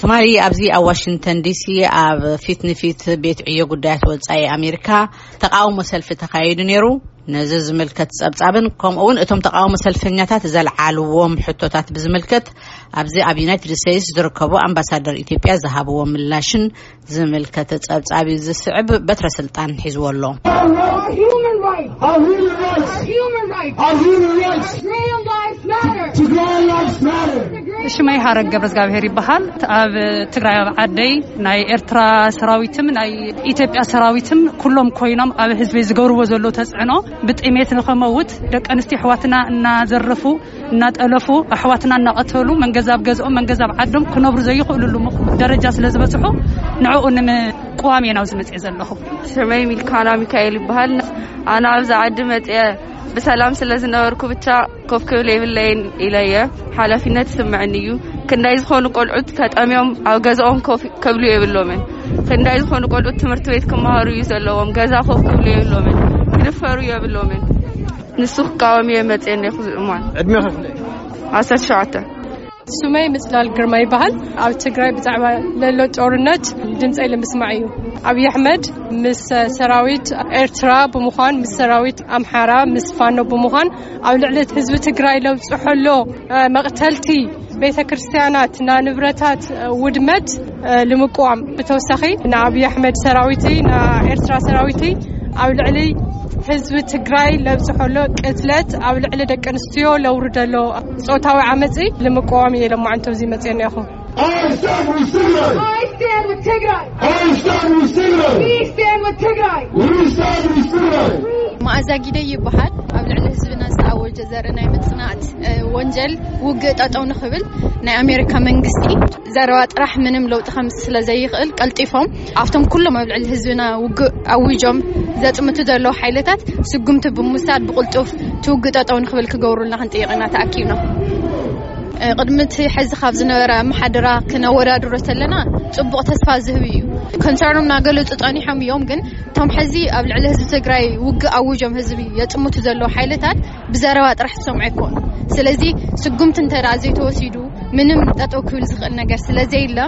ትማሊ ኣብዚ ኣብ ዋሽንግተን ዲሲ ኣብ ፊት ንፊት ቤት ዕዮ ጉዳያት ወጻኢ ኣሜሪካ ተቃውሞ ሰልፊ ተኻይዱ ነይሩ። ነዚ ዝምልከት ጸብጻብን ከምኡ እውን እቶም ተቃውሞ ሰልፈኛታት ዘልዓልዎም ሕቶታት ብዝምልከት ኣብዚ ኣብ ዩናይትድ ስቴትስ ዝርከቡ ኣምባሳደር ኢትዮጵያ ዝሃብዎ ምላሽን ዝምልከት ጸብጻብ እዩ ዝስዕብ። በትረ ስልጣን ሒዝዎ ኣሎ። Our human rights. Our human rights. Our human rights. Our human rights. Tigrayan lives matter. Tigrayan lives matter. ሽመይ ሃረግ ገብረ እግዚኣብሔር ይበሃል። ኣብ ትግራይ ኣብ ዓደይ ናይ ኤርትራ ሰራዊትም ናይ ኢትዮጵያ ሰራዊትም ኩሎም ኮይኖም ኣብ ህዝቢ ዝገብርዎ ዘሎ ተጽዕኖ ብጥሜት ንኸመውት ደቂ ኣንስትዮ ኣሕዋትና እናዘረፉ እናጠለፉ ኣሕዋትና እናቐተሉ መንገዛ ኣብ ገዝኦም መንገዛ ኣብ ዓዶም ክነብሩ ዘይኽእሉሉ ምኽ- ደረጃ ስለ ዝበጽሑ ንዕኡ ንምቅዋም እየ ናብዚ መጽኤ ዘለኹ። ሽመይ ሚልካና ሚካኤል ይበሃል። ኣነ ኣብዚ ዓዲ መጽኤ ብሰላም ስለ ዝነበርኩ ብቻ ኮፍ ክብል የብለይን ኢለየ ሓላፊነት ይስምዐኒ እዩ። ክንዳይ ዝኾኑ ቆልዑት ተጠምዮም ኣብ ገዛኦም ኮፍ ክብሉ የብሎምን። ክንዳይ ዝኾኑ ቆልዑት ትምህርቲ ቤት ክመሃሩ እዩ ዘለዎም። ገዛ ኮፍ ክብሉ የብሎምን። ክድፈሩ የብሎምን። ንሱ ክቃወም እየ መጽኤ እኔኹ እዋን። ዕድሜ ከፍለ? ዓሰርተ ሸውዓተ። ስመይ ምጽላል ግርማ ይበሃል። ኣብ ትግራይ ብዛዕባ ለሎ ጦርነት ድምፀይ ንምስማዕ እዩ። ኣብይ ኣሕመድ ምስ ሰራዊት ኤርትራ ብምዃን፣ ምስ ሰራዊት ኣምሓራ፣ ምስ ፋኖ ብምዃን ኣብ ልዕሊ ህዝቢ ትግራይ ለብፅሖ ኣሎ መቕተልቲ፣ ቤተ ክርስቲያናት፣ ና ንብረታት ውድመት ንምቋም፣ ብተወሳኺ ንኣብይ ኣሕመድ ሰራዊቲ፣ ንኤርትራ ሰራዊቲ ኣብ ልዕሊ ህዝቢ ትግራይ ለብፅሖ ኣሎ ቅትለት፣ ኣብ ልዕሊ ደቂ ኣንስትዮ ለውርደሎ ጾታዊ ዓመፂ ንምቋም እየ ለማዓንቶ እዚ መፅኤ እኒኣኹ። I stand with Tigray. I stand with Tigray. I stand with Tigray. We stand with Tigray. We stand with Tigray. መኣዛ ጊደይ ይበሃል። ኣብ ልዕሊ ህዝብና ዝተኣወጀ ዘርኢ ናይ ምጽናት ወንጀል ውግእ ጠጠው ንኽብል ናይ ኣሜሪካ መንግስቲ ዘረባ ጥራሕ ምንም ለውጢ ከምጽእ ስለ ዘይኽእል ቀልጢፎም ኣብቶም ኩሎም ኣብ ልዕሊ ህዝብና ውግእ ኣዊጆም ዘጽምቱ ዘለዉ ሓይልታት ስጉምቲ ብምውሳድ ብቕልጡፍ እቲ ውግእ ጠጠው ንኽብል ክገብሩልና ክንጥይቕ ኢና ተኣኪብና። ቅድሚ እቲ ሕዚ ካብ ዝነበረ ኣመሓድራ ክነወዳድሮ ተለና ጽቡቕ ተስፋ ዝህብ እዩ። ኮንሰርኖም እናገለጹ ጸኒሖም እዮም፣ ግን እቶም ሕዚ ኣብ ልዕሊ ህዝቢ ትግራይ ውግእ ኣውጆም ህዝቢ የጽምቱ ዘለዉ ሓይልታት ብዘረባ ጥራሕ ዝሰምዑ ኣይኮኑ። ስለዚ ስጉምቲ እንተ ደኣ ዘይተወሲዱ ምንም ጠጠው ክብል ዝኽእል ነገር ስለ ዘየለ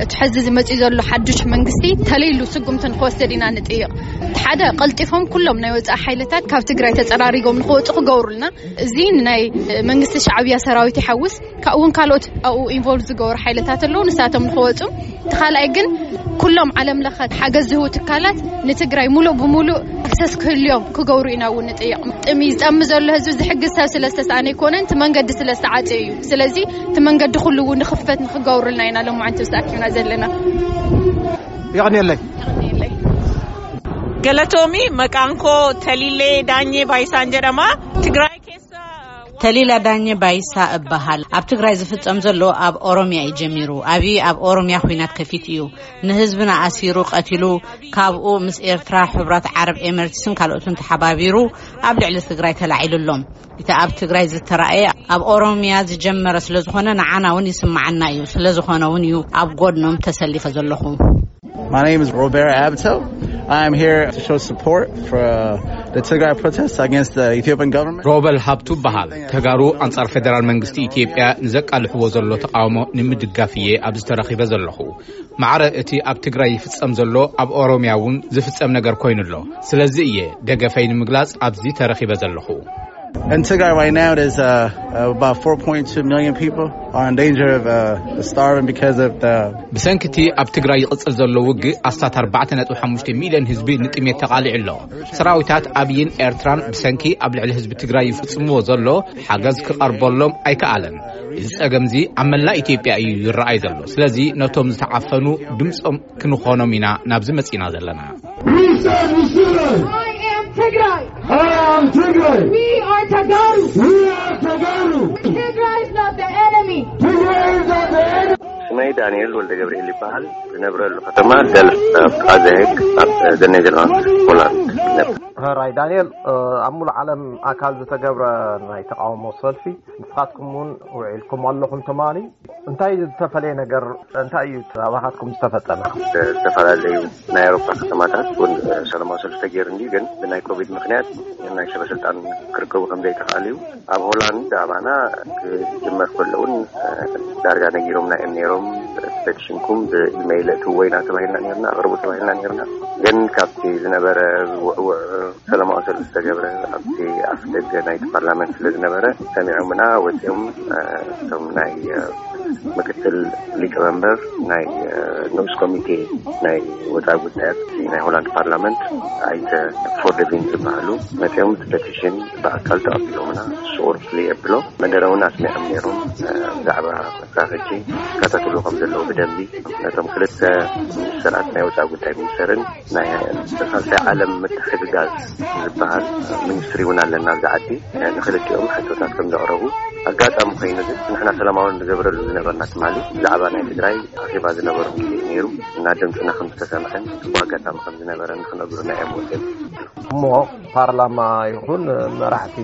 እቲ ሕዚ ዝመጽእ ዘሎ ሓዱሽ መንግስቲ ተለይሉ ስጉምቲ ንክወስድ ኢና ንጥይቕ። እቲ ሓደ ቀልጢፎም ኩሎም ናይ ወጻኢ ሓይልታት ካብ ትግራይ ተጸራሪጎም ንክወጹ ክገብሩልና። እዚ ንናይ መንግስቲ ሻዕብያ ሰራዊት ይሓውስ ካብኡ እውን ካልኦት ኣብኡ ኢንቮልቭ ዝገብሩ ሓይልታት ኣለዉ ንሳቶም ንክወጹ። እቲ ካልኣይ ግን ኩሎም ዓለም ለኸ ሓገዝ ዝህቡ ትካላት ንትግራይ ሙሉእ ብሙሉእ ኣክሰስ ክህልዮም ክገብሩ ኢና እውን ንጥይቕ። ጥሚ ዝጠሚ ዘሎ ህዝቢ ዝሕግዝ ሰብ ስለ ዝተሰኣነ ኣይኮነን፣ እቲ መንገዲ ስለ ዝተዓፀ እዩ። ስለዚ እቲ መንገዲ ኩሉ እውን ንኽፈት ንክገብሩልና ኢና ሎማዓንቲ ተኣኪብና ዘለና። የቐንየለይ። ገለቶሚ መቃንኮ ተሊሌ ዳኘ ባይሳን ጀደማ ትግራይ ኬሳ። ተሊላ ዳኘ ባይሳ እበሃል። ኣብ ትግራይ ዝፍጸም ዘሎ ኣብ ኦሮሚያ እዩ ጀሚሩ። ኣብይ ኣብ ኦሮሚያ ኹናት ከፊት እዩ። ንህዝብና ኣሲሩ ቀቲሉ፣ ካብኡ ምስ ኤርትራ ሕቡራት ዓረብ ኤምሬትስን ካልኦትን ተሓባቢሩ ኣብ ልዕሊ ትግራይ ተላዒሉ ኣሎ። እቲ ኣብ ትግራይ ዝተራእየ ኣብ ኦሮሚያ ዝጀመረ ስለ ዝኾነ ንዓና እውን ይስማዓና እዩ። ስለ ዝኾነ እውን እዩ ኣብ ጎድኖም ተሰሊፈ ዘለኹ። My name is Robert Abtel. I am here to show support for uh, the Tigray protests against the Ethiopian government. ሮበል ሃብቱ በሃል። ተጋሩ ኣንጻር ፌደራል መንግስቲ ኢትዮጵያ ንዘቃልሕዎ ዘሎ ተቃውሞ ንምድጋፍ እየ ኣብዚ ተረኺበ ዘለኹ። ማዕረ እቲ ኣብ ትግራይ ይፍጸም ዘሎ ኣብ ኦሮሚያ እውን ዝፍጸም ነገር ኮይኑ ኣሎ። ስለዚ እየ ደገፈይ ንምግላጽ ኣብዚ ተረኺበ ዘለኹ። In Tigray right now, there's uh, about four point two million people are in danger of uh, starving because of the ብሰንኪ እቲ ኣብ ትግራይ ይቕጽል ዘሎ ውግእ ኣስታት ኣርባዕተ ነጥቢ ሓሙሽተ ሚልዮን ህዝቢ ንጥሜት ተቓሊዑ ኣሎ። ሰራዊታት ኣብይን ኤርትራን ብሰንኪ ኣብ ልዕሊ ህዝቢ ትግራይ ይፍጽምዎ ዘሎ ሓገዝ ክቐርበሎም ኣይከኣለን። እዚ ጸገምዚ ኣብ መላእ ኢትዮጵያ እዩ ይረኣይ ዘሎ። ስለዚ ነቶም ዝተዓፈኑ ድምጾም ክንኾኖም ኢና ናብዚ መጺና ዘለና። We stand with Tigray. I am Tigray. I am Tigray. We are Tagaru. We are Tagaru. Tigray is not the enemy. Tigray is not the enemy. ስመይ ዳንኤል ወልደ ገብርኤል ይበሃል። ዝነብረሉ ከተማ ደልፍ ኣብ ጥቓ ዘሄግ ኣብ ደኔዘርላንድ ሆላንድ ይነብር። ሕራይ ዳንኤል፣ ኣብ ሙሉእ ዓለም ኣካል ዝተገብረ ናይ ተቃውሞ ሰልፊ ንስኻትኩም እውን ውዒልኩም ኣለኹም ትማሊ። እንታይ ዝተፈለየ ነገር እንታይ እዩ ኣባኻትኩም ዝተፈጸመ? ዝተፈላለዩ ናይ ኣውሮፓ ከተማታት እውን ሰላማዊ ሰልፊ ተገይሩ እንዲ ግን ብናይ ኮቪድ ምክንያት ናይ ሰበ ስልጣን ክርከቡ ከም ዘይተኽኣሉ እዩ። ኣብ ሆላንድ ኣባና ክጅመር ከሎ እውን ዳርጋ ነጊሮምና እዮም ነይሮም። ፔቲሽንኩም ብኢሜይል እትዎ ኢና ተባሂልና ነርና፣ ኣቕርቡ ተባሂልና ነርና። ግን ካብቲ ዝነበረ ዝውዕውዕ ሰላማዊ ሰልፊ ዝተገብረ ኣብቲ ኣፍ ደገ ናይቲ ፓርላመንት ስለ ዝነበረ፣ ሰሚዖምና ወፂኦም። እቶም ናይ ምክትል ሊቀመንበር ናይ ንኡስ ኮሚቴ ናይ ወፃኢ ጉዳያት ናይ ሆላንድ ፓርላመንት ኣይተ ፎርደቪን ዝበሃሉ መፂኦም፣ ፔቲሽን ብኣካል ተቐቢሎምና። ስቑር ፍልይ የብሎ መደረ እውን ኣስሚዖም ነይሮም። ብዛዕባ መሳኸጂ ይከታተሉ ከም ዘለዉ ብደንቢ፣ ነቶም ክልተ ሚኒስተራት ናይ ወፃኢ ጉዳይ ሚኒስተርን ናይ ሳልሳይ ዓለም ምትሕግጋዝ ዝበሃል ሚኒስትሪ እውን ኣለና ኣብዚ ዓዲ። ንክልቲኦም ሕቶታት ከም ዘቕረቡ፣ ኣጋጣሚ ኮይኑ ግን ንሕና ሰላማዊ ንገብረሉ ዝነበርና ትማሊ ብዛዕባ ናይ ትግራይ ኣኼባ ዝነበሮም ግዜ ነይሩ እና ድምፅና ከም ዝተሰምዐን ብኣጋጣሚ ከም ዝነበረ ንክነግሩና እዮም ወፅኦም። እሞ ፓርላማ ይኹን መራሕቲ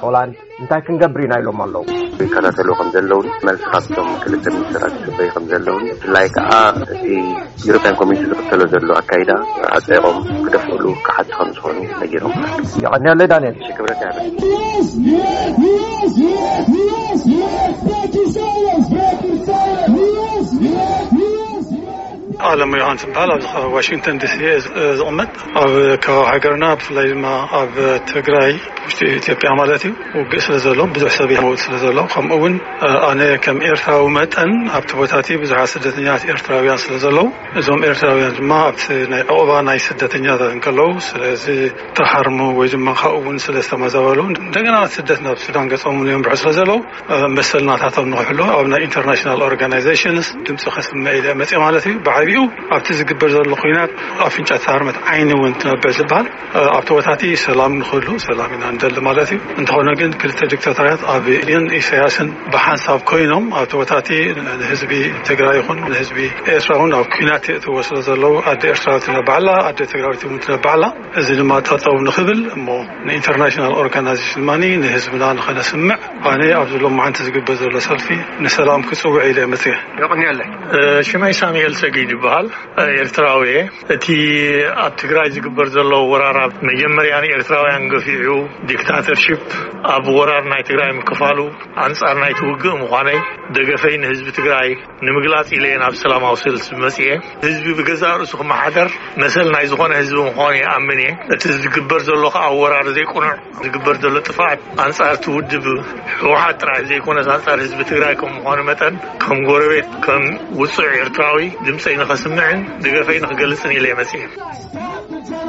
ሆላንድ እንታይ ክንገብር ኢና ኢሎም ኣለዉ። ይከታተሉ ከም ዘለውን መልሲ ካብቶም ክልተ ሚኒስትራት ዝፅበዩ ከም ዘለውን፣ ብፍላይ ከዓ እቲ ዩሮፒያን ኮሚኒቲ ዝኽተሎ ዘሎ ኣካይዳ ኣፀይቆም ክደፍእሉ ክሓቲ ከም ዝኾኑ ነጊሮም። የቐንየለይ ዳንኤል። ክብረት ያለ ኣለም ዮሃንስ ዝበሃል ኣብዚ ከባቢ ዋሽንግተን ዲሲ እየ ዝቕመጥ። ኣብ ከባቢ ሃገርና ብፍላይ ድማ ኣብ ትግራይ ውሽጢ ኢትዮጵያ ማለት እዩ ውግእ ስለ ዘሎ ብዙሕ ሰብ ይመውት ስለ ዘሎ፣ ከምኡ እውን ኣነ ከም ኤርትራዊ መጠን ኣብቲ ቦታ እቲ ብዙሓት ስደተኛታት ኤርትራውያን ስለ ዘለዉ፣ እዞም ኤርትራውያን ድማ ኣብቲ ናይ ዕቑባ ናይ ስደተኛታት እንከለዉ ስለዚ ተሃርሙ ወይ ድማ ካብኡ እውን ስለ ዝተመዛበሉ እንደገና ስደት ናብ ሱዳን ገጾም እውን የንብሑ ስለ ዘለዉ መሰል ናታቶም ንክሕሉ ኣብ ናይ ኢንተርናሽናል ኦርጋናይዜሽንስ ድምፂ ከስምዕ ኢለ መፅእ ማለት እዩ። ብዓቢኡ ኣብቲ ዝግበር ዘሎ ኩናት ኣፍንጫ ተሃርመት ዓይኒ እውን ትነብዕ ዝበሃል ኣብቲ ቦታቲ ሰላም ንክህሉ ሰላም ኢና ንደሊ ማለት እዩ። እንተኾነ ግን ክልተ ዲክታቶርያት ኣብይን ኢሳያስን ብሓንሳብ ኮይኖም ኣብቲ ቦታቲ ንህዝቢ ትግራይ ይኹን ንህዝቢ ኤርትራ እውን ኣብ ኩናት የእትዎ ስለ ዘለዉ ኣደ ኤርትራዊት ትነባዕላ ኣደ ትግራዊት እውን ትነባዕላ። እዚ ድማ ጠጠው ንክብል እሞ ንኢንተርናሽናል ኦርጋናይዜሽን ድማ ንህዝብና ንኸነስምዕ ኣነ ኣብዚ ሎማዓንቲ ዝግበር ዘሎ ሰልፊ ንሰላም ክፅውዕ ኢለ መፅየ። የቕንየለይ። ሽመይ ሳሙኤል ሰጊድ ይበሃል። ኤርትራዊ እየ። እቲ ኣብ ትግራይ ዝግበር ዘሎ ወራር ኣብ መጀመርያ ንኤርትራውያን ገፊዑ ዲክታተርሺፕ ኣብ ወራር ናይ ትግራይ ምክፋሉ ኣንጻር ናይቲ ውግእ ምዃነይ ደገፈይ ንህዝቢ ትግራይ ንምግላጽ ኢለ እየ ናብ ሰላማዊ ሰልፊ መጽየ። ህዝቢ ብገዛእ ርእሱ ክመሓደር መሰል ናይ ዝኾነ ህዝቢ ምዃኑ ይኣምን እየ። እቲ ዝግበር ዘሎ ከዓ ወራር ዘይቁኑዕ ዝግበር ዘሎ ጥፍኣት ኣንጻር እቲ ውድብ ህወሓት ጥራሕ ዘይኮነስ ኣንጻር ህዝቢ ትግራይ ከም ምዃኑ መጠን ከም ጎረቤት ከም ውጹዕ ኤርትራዊ ድምፀይ ንኸስምዕን ድገፈይ ንኽገልጽን ኢለ እየ መፅየ።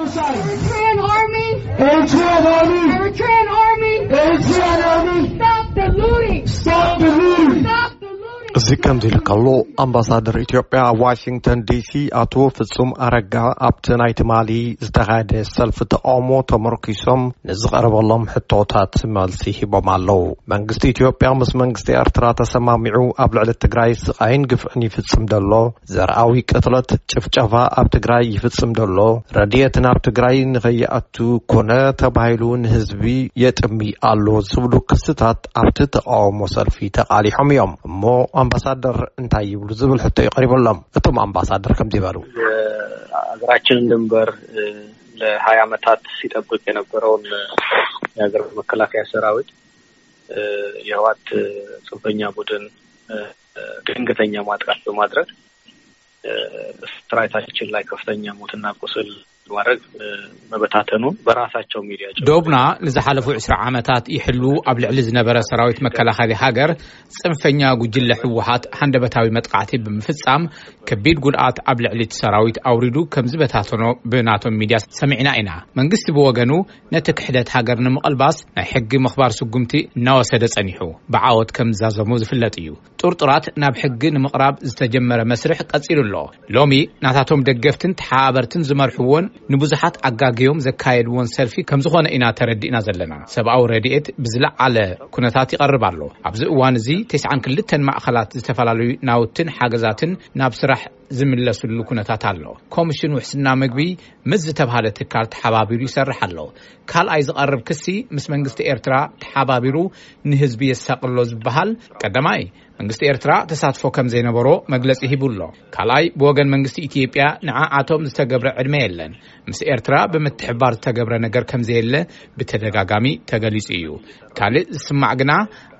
Eritrean army! Eritrean army! Eritrean army! Eritrean army! Stop the looting! Stop the looting! Stop the looting! እዚ ከምዚ ኢሉ ከሎ ኣምባሳደር ኢትዮጵያ ኣብ ዋሽንግተን ዲሲ ኣቶ ፍጹም ኣረጋ ኣብቲ ናይ ትማሊ ዝተኻየደ ሰልፊ ተቃውሞ ተመርኪሶም ንዝቐረበሎም ሕቶታት መልሲ ሂቦም ኣለዉ። መንግስቲ ኢትዮጵያ ምስ መንግስቲ ኤርትራ ተሰማሚዑ ኣብ ልዕሊ ትግራይ ስቓይን ግፍዕን ይፍጽም ዘሎ ዘርኣዊ ቅትለት፣ ጭፍጨፋ ኣብ ትግራይ ይፍጽም ዘሎ፣ ረድኤት ናብ ትግራይ ንኸይኣቱ ኮነ ተባሂሉ ንህዝቢ የጥሚ ኣሎ ዝብሉ ክስታት ኣብቲ ተቃውሞ ሰልፊ ተቃሊሖም እዮም። እሞ ኣምባሳደር እንታይ ይብሉ ዝብል ሕቶ እዩ ቀሪበሎም። እቶም ኣምባሳደር ከምዚ ይበሉ። የሀገራችንን ድንበር ለሀያ ዓመታት ሲጠብቅ የነበረውን የሀገር መከላከያ ሰራዊት የህወሓት ጽንፈኛ ቡድን ድንገተኛ ማጥቃት በማድረግ ሰራዊታችን ላይ ከፍተኛ ሞትና ቁስል ማድረግ መበታተኑን በራሳቸው ሚዲያ ዶብና ንዝሓለፉ ዕስራ ዓመታት ይሕሉ ኣብ ልዕሊ ዝነበረ ሰራዊት መከላኸሊ ሃገር ጽንፈኛ ጉጅለ ህወሓት ሃንደበታዊ መጥቃዕቲ ብምፍጻም ከቢድ ጉድኣት ኣብ ልዕሊ እቲ ሰራዊት ኣውሪዱ ከም ዝበታተኖ ብናቶም ሚድያ ሰሚዕና ኢና። መንግስቲ ብወገኑ ነቲ ክሕደት ሃገር ንምቕልባስ ናይ ሕጊ ምኽባር ስጉምቲ እናወሰደ ጸኒሑ ብዓወት ከም ዝዛዘሙ ዝፍለጥ እዩ። ጥርጡራት ናብ ሕጊ ንምቕራብ ዝተጀመረ መስርሕ ቀጺሉ ኣሎ። ሎሚ ናታቶም ደገፍትን ተሓባበርትን ዝመርሕዎን ንብዙሓት ኣጋግዮም ዘካየድዎን ሰልፊ ከም ዝኾነ ኢና ተረዲእና ዘለና። ሰብኣዊ ረድኤት ብዝለዓለ ኩነታት ይቐርብ ኣሎ። ኣብዚ እዋን እዚ ተስዓን ክልተን ማእኸላት ዝተፈላለዩ ናውትን ሓገዛትን ናብ ስራሕ ዝምለስሉ ኩነታት ኣሎ። ኮሚሽን ውሕስና ምግቢ ምስ ዝተብሃለ ትካል ተሓባቢሩ ይሰርሕ ኣሎ። ካልኣይ ዝቐርብ ክሲ ምስ መንግስቲ ኤርትራ ተሓባቢሩ ንህዝቢ የሳቕሎ ዝበሃል፣ ቀዳማይ መንግስቲ ኤርትራ ተሳትፎ ከም ዘይነበሮ መግለጺ ሂቡ ኣሎ። ካልኣይ ብወገን መንግስቲ ኢትዮጵያ ንዓኣቶም ዝተገብረ ዕድመ የለን። ምስ ኤርትራ ብምትሕባር ዝተገብረ ነገር ከም ዘየለ ብተደጋጋሚ ተገሊጹ እዩ። ካልእ ዝስማዕ ግና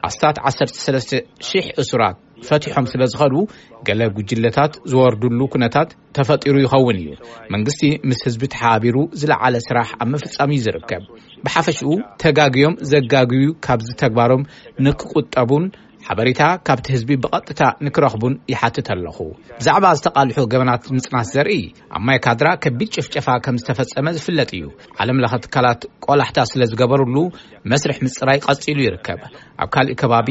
ኣስታት ዓሰርተ ሰለስተ ሽሕ እሱራት ፈቲሖም ስለ ዝኸዱ፣ ገለ ጉጅለታት ዝወርዱሉ ኩነታት ተፈጢሩ ይኸውን እዩ። መንግስቲ ምስ ህዝቢ ተሓባቢሩ ዝለዓለ ስራሕ ኣብ ምፍጻም እዩ ዝርከብ። ብሓፈሽኡ፣ ተጋግዮም ዘጋግዩ ካብዚ ተግባሮም ንክቁጠቡን ሓበሬታ ካብቲ ህዝቢ ብቐጥታ ንክረኽቡን ይሓትት ኣለኹ። ብዛዕባ ዝተቓልሑ ገበናት ምጽናት ዘርኢ፣ ኣብ ማይ ካድራ ከቢድ ጭፍጨፋ ከም ዝተፈጸመ ዝፍለጥ እዩ። ዓለም ለኸ ትካላት ቆላሕታ ስለ ዝገበሩሉ፣ መስርሕ ምጽራይ ቀጺሉ ይርከብ። ኣብ ካልእ ከባቢ፣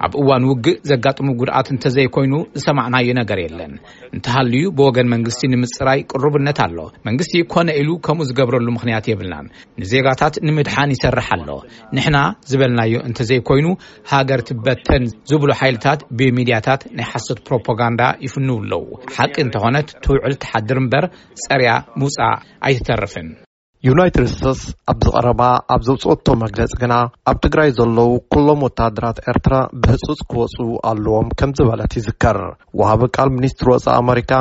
ኣብ እዋን ውግእ ዘጋጥሙ ጉድኣት እንተዘይኮይኑ ዝሰማዕናዮ ነገር የለን። እንተሃልዩ፣ ብወገን መንግስቲ ንምጽራይ ቅሩብነት ኣሎ። መንግስቲ ኮነ ኢሉ ከምኡ ዝገብረሉ ምኽንያት የብልናን። ንዜጋታት ንምድሓን ይሰርሕ ኣሎ። ንሕና ዝበልናዮ እንተዘይኮይኑ፣ ሃገር ትበተን ዝብሉ ሓይልታት ብሚድያታት ናይ ሓሶት ፕሮፓጋንዳ ይፍንው ኣለዉ። ሓቂ እንተኾነት ትውዕል ትሓድር እምበር፣ ጸርያ ምውጻእ ኣይትተርፍን። ዩናይትድ ስቴትስ ኣብዚ ቀረባ ኣብ ዘውፅኦቶ መግለፂ ግና፣ ኣብ ትግራይ ዘለዉ ኩሎም ወታደራት ኤርትራ ብህፁፅ ክወፁ ኣለዎም ከም ዝበለት ይዝከር። ወሃቢ ቃል ሚኒስትሪ ወፃኢ ኣመሪካ፣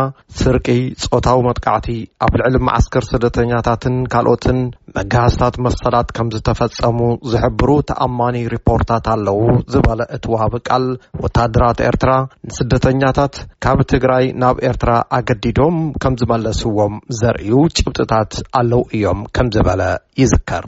ስርቂ፣ ፆታዊ መጥቃዕቲ፣ ኣብ ልዕሊ መዓስከር ስደተኛታትን ካልኦትን መጋሃስታት መሰላት ከም ዝተፈጸሙ ዝሕብሩ ተኣማኒ ሪፖርታት ኣለዉ ዝበለ እቲ ወሃቢ ቃል፣ ወታደራት ኤርትራ ንስደተኛታት ካብ ትግራይ ናብ ኤርትራ ኣገዲዶም ከም ዝመለስዎም ዘርእዩ ጭብጥታት ኣለዉ እዮም ከም ዝበለ ይዝከር።